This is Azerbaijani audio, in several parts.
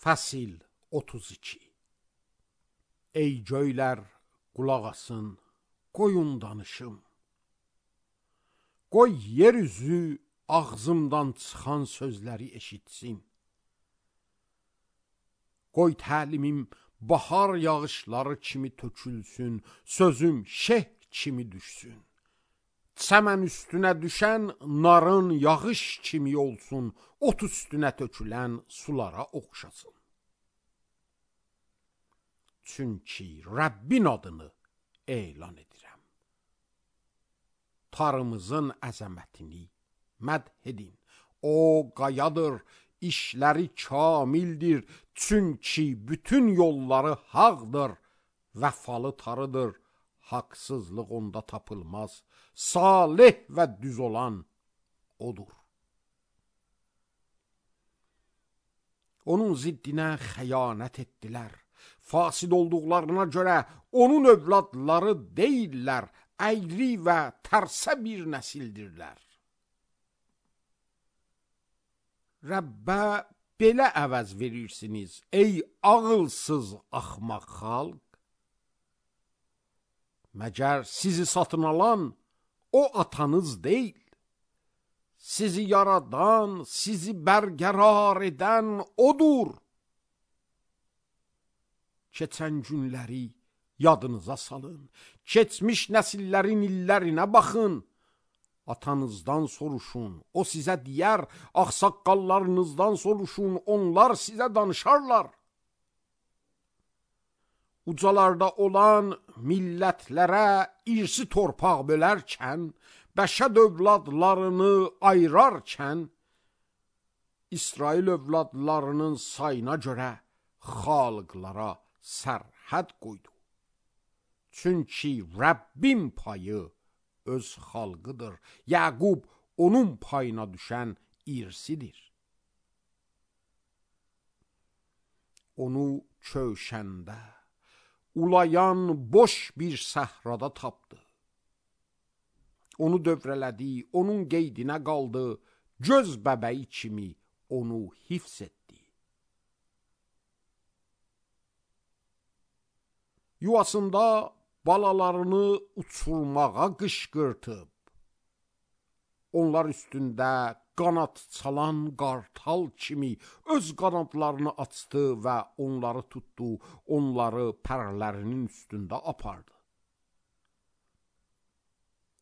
Fəsil 32. Ey göylər, qulaq asın, qoyun danışım. Qoy yer üzü ağzımdan çıxan sözləri eşitsin. Qoy təlimim bahar yağışları kimi tökülsün, sözüm şeh kimi düşsün. Çəmən üstünə düşən narın yağış kimi olsun, ot üstünə tökülən sulara oxşasın. Çünki Rəbbin adını elan edirəm. Tarımızın əzəmətini mədh edin. O qayadır, işləri kamildir. Çünki bütün yolları haqdır. Vəfalı tarıdır, haqsızlıq onda tapılmaz. Salih və düz olan odur. Onun ziddinə xəyanət etdilər. Fasid olduqlarına görə onun övladları deyirlər, əyri və tərsə bir nəsildirlər. Rəbbə belə əvəz verirsiniz, ey ağılsız axmaq xalq. Məgər sizi satın alan o atanız deyil. Sizi yaradan, sizi bərqərar edən odur. Keçən günləri yadınıza salın. Keçmiş nəsillərin illərinə baxın. Atanızdan soruşun, o sizə deyər. Ağsaqqallarınızdan soruşun, onlar sizə danışarlar. Ucalarda olan millətlərə irsi torpaq bölərkən, bəşər övladlarını ayırarkən, İsrail övladlarının sayına görə xalqlara sərhəd qoydu. Çünki Rəbbin payı öz xalqıdır. Yəqub onun payına düşən irsidir. Onu köşəndə, ulayan boş bir səhrada tapdı. Onu dövrələdi, onun qeydinə qaldı, göz bəbəyi kimi onu hifz etdi. Yuvasında balalarını uçurmağa qışqırtıb, onlar üstündə qanat çalan qartal kimi öz qanadlarını açdı və onları tutdu, onları pərlərinin üstündə apardı.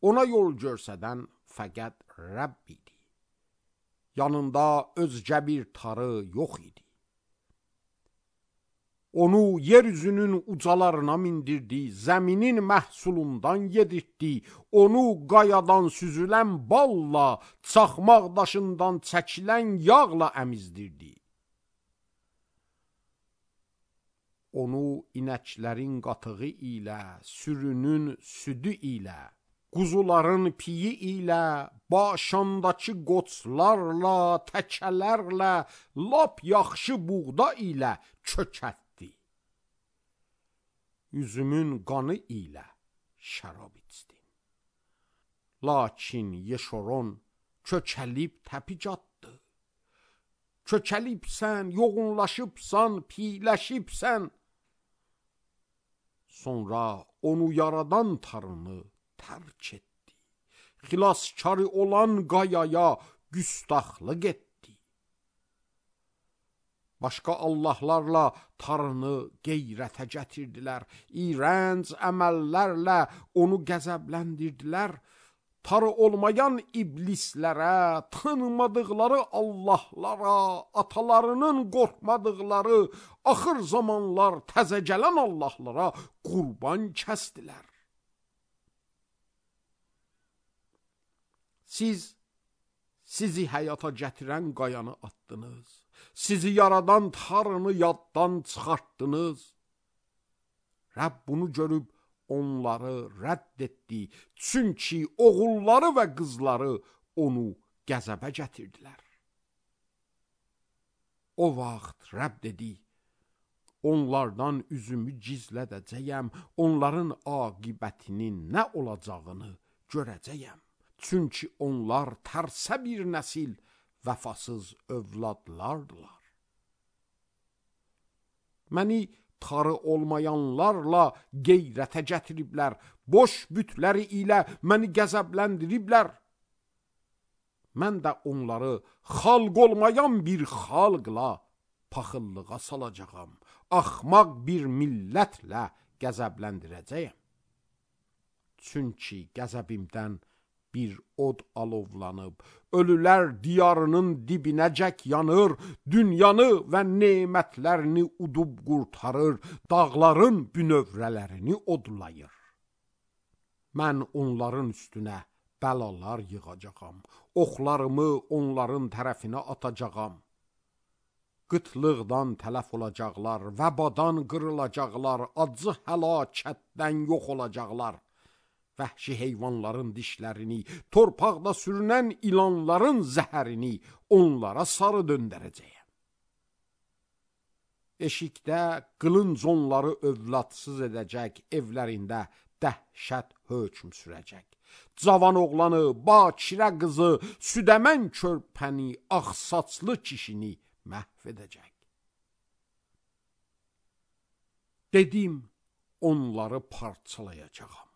Ona yol görsədən fəqət Rəbb idi. Yanında özgə bir tarı yox idi. Onu yeryüzünün ucalarına mindirdi, zəminin məhsulundan yedirtdi. Onu qayadan süzülən balla, çaxmaq daşından çəkilən yağla əmizdirdi. Onu inəklərin qatığı ilə, sürünün südü ilə, quzuların piyi ilə, başandakı qoçlarla, təkələrlə, lap yaxşı buğda ilə çökətdi. Üzümün qanı ilə şərab içdin. Lakin Yeşoron kökəlib təpic atdı. Kökəlibsən, yoğunlaşıbsan, piyləşibsən. Sonra onu yaradan tarını tərk etdi. Xilaskarı olan qayaya güstaxlıq etdi. Başqa Allahlarla tarını qeyrətə gətirdilər. İrənc əməllərlə onu qəzəbləndirdilər. Tarı olmayan iblislərə, tanımadıqları Allahlara, atalarının qorxmadıqları, axır zamanlar təzə gələn Allahlara qurban kəsdilər. Sizi həyata gətirən qayanı atdınız. Sizi yaradan tarını yaddan çıxartdınız. Rəbb bunu görüb onları rədd etdi. Çünki oğulları və qızları onu qəzəbə gətirdilər. O vaxt Rəbb dedi, onlardan üzümü gizlədəcəyəm, onların aqibətinin nə olacağını görəcəyəm. Çünki onlar tərsə bir nəsil, vəfasız övladlardılar. məni tarı olmayanlarla qeyrətə gətiriblər, boş bütləri ilə məni qəzəbləndiriblər. Mən də onları xalq olmayan bir xalqla paxıllığa salacağam, axmaq bir millətlə qəzəbləndirəcəyəm. Çünki qəzəbimdən bir od alovlanıb, ölülər diyarının dibinəcək yanır, dünyanı və nemətlərini udub qurtarır, dağların bünövrələrini odlayır. Mən onların üstünə bəlalar yığacağam, oxlarımı onların tərəfinə atacağam. Qıtlıqdan tələf olacaqlar, vəbadan qırılacaqlar, acı həlakətdən yox olacaqlar. Vəhşi heyvanların dişlərini, torpaqda sürünən ilanların zəhərini onlara sarı döndərəcəyəm. Eşikdə qılınc onları övladsız edəcək, evlərində dəhşət hökm sürəcək. Cavan oğlanı, bakirə qızı, südəmən körpəni, ağsaçlı kişini məhv edəcək. Dedim, onları parçalayacağam.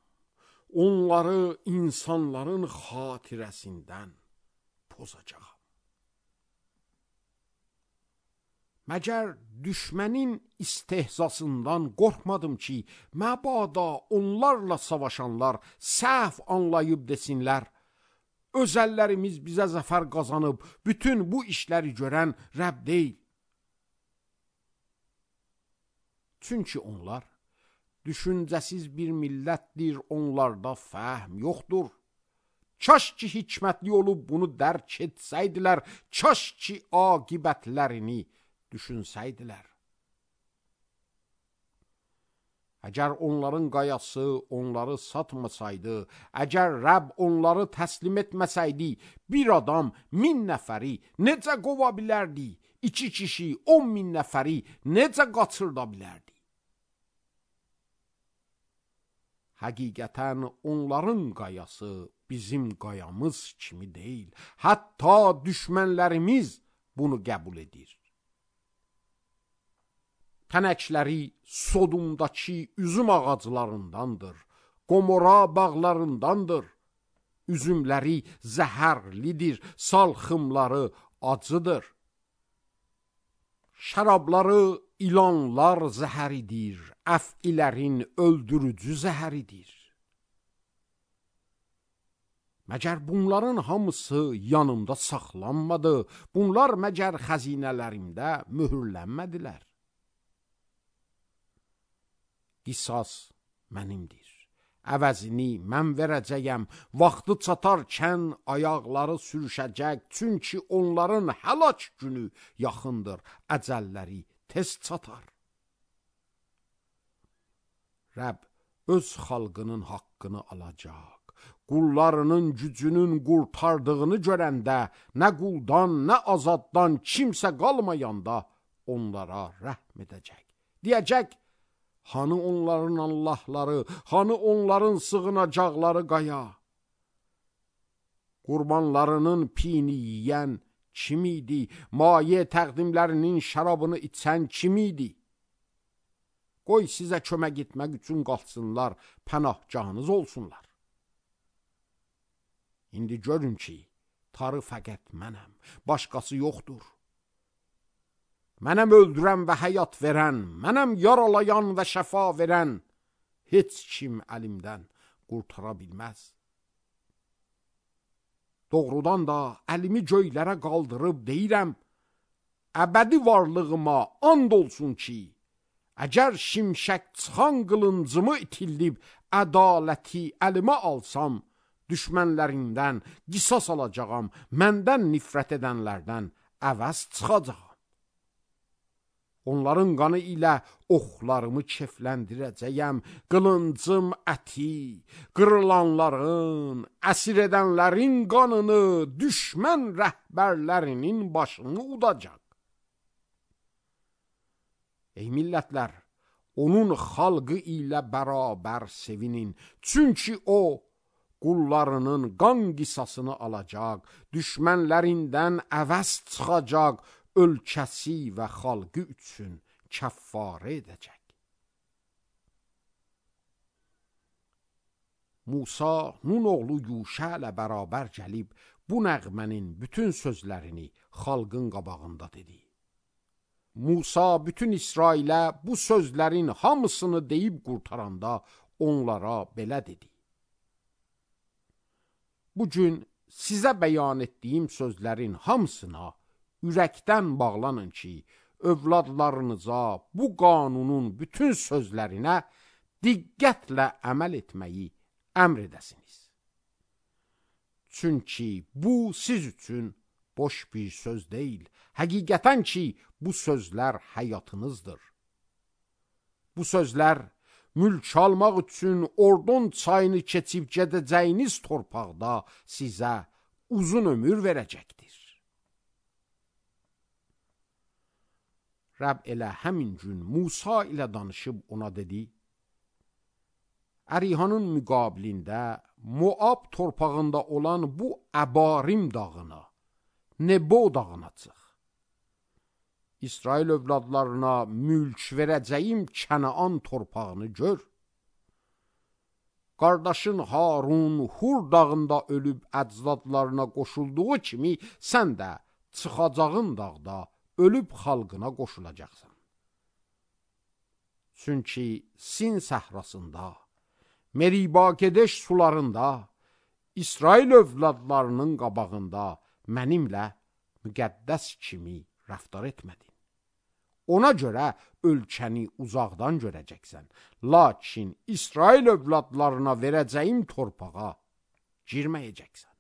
Onları insanların xatirəsindən pozacağam. Məgər düşmənin istehzasından qorxmadım ki, məbada onlarla savaşanlar səhv anlayıb desinlər, öz əllərimiz bizə zəfər qazanıb, bütün bu işləri görən Rəbb deyil. Çünki onlar düşüncəsiz bir millətdir, onlarda fəhm yoxdur. Kaş ki hikmətli olub bunu dərk etsəydilər, kaş ki aqibətlərini düşünsəydilər. Əgər onların qayası onları satmasaydı, əgər Rəbb onları təslim etməsəydi, bir adam 1000 nəfəri necə qova bilərdi? 2 kişi 10.000 nəfəri necə qaçırda bilərdi? Həqiqətən onların qayası bizim qayamız kimi deyil. Hətta düşmənlərimiz bunu qəbul edir. Tənəkləri Sodumdakı üzüm ağaclarındandır, Qomora bağlarındandır. Üzümləri zəhərlidir, salxımları acıdır. Şərabları ilanlar zəhəridir, əf'ilərin öldürücü zəhəridir. Məgər bunların hamısı yanımda saxlanmadı, bunlar məgər xəzinələrimdə mühürlənmədilər. Qisas mənimdir, əvəzini mən verəcəyəm, vaxtı çatarkən ayaqları sürüşəcək, çünki onların həlak günü yaxındır, əcəlləri tez çatar. Rəbb öz xalqının haqqını alacaq, qullarının gücünün qurtardığını görəndə, nə quldan, nə azaddan kimsə qalmayanda onlara rəhm edəcək. Deyəcək, hanı onların Allahları, hanı onların sığınacaqları qaya? Qurbanlarının pini yiyən kim idi? Maye təqdimlərinin şərabını içən kim idi? Qoy sizə kömək etmək üçün qalsınlar, pənahgahınız olsunlar. İndi görün ki, tarı fəqət mənəm, başqası yoxdur. Mənəm öldürən və həyat verən, mənəm yaralayan və şəfa verən, heç kim əlimdən qurtara bilməz. Doğrudan da əlimi göylərə qaldırıb deyirəm, əbədi varlığıma and olsun ki, əgər şimşək çıxan qılıncımı itildib, ədaləti əlimə alsam, düşmənlərimdən qisas alacağam, məndən nifrət edənlərdən əvəz çıxacağam. Onların qanı ilə oxlarımı kefləndirəcəyəm, qılıncım əti, qırılanların, əsir edənlərin qanını, düşmən rəhbərlərinin başını udacaq. Ey millətlər, onun xalqı ilə bərabər sevinin, çünki o, qullarının qan qisasını alacaq, düşmənlərindən əvəz çıxacaq, ölkəsi və xalqı üçün kəffarə edəcək. Musa Nun oğlu Yuşa ilə bərabər gəlib bu nəğmənin bütün sözlərini xalqın qabağında dedi. Musa bütün İsrailə bu sözlərin hamısını deyib qurtaranda onlara belə dedi. Bugün sizə bəyan etdiyim sözlərin hamısına ürəkdən bağlanın ki, övladlarınıza bu qanunun bütün sözlərinə diqqətlə əməl etməyi əmr edəsiniz. Çünki bu siz üçün boş bir söz deyil, həqiqətən ki, bu sözlər həyatınızdır. Bu sözlər mülk almaq üçün Ordon çayını keçib gedəcəyiniz torpaqda sizə uzun ömür verəcəkdir. Rəbb elə həmin gün Musa ilə danışıb ona dedi, Ərihanın müqabilində Moab torpağında olan bu Əbarim dağına, Nebo dağına çıx. İsrail övladlarına mülk verəcəyim Kənaan torpağını gör. Qardaşın Harun Hur dağında ölüb əcdadlarına qoşulduğu kimi sən də çıxacağın dağda ölüb xalqına qoşulacaqsan. Çünki Sin səhrasında, Meriba Kedeş sularında, İsrail övladlarının qabağında mənimlə müqəddəs kimi rəftar etmədin. Ona görə ölkəni uzaqdan görəcəksən. Lakin İsrail övladlarına verəcəyim torpağa girməyəcəksən.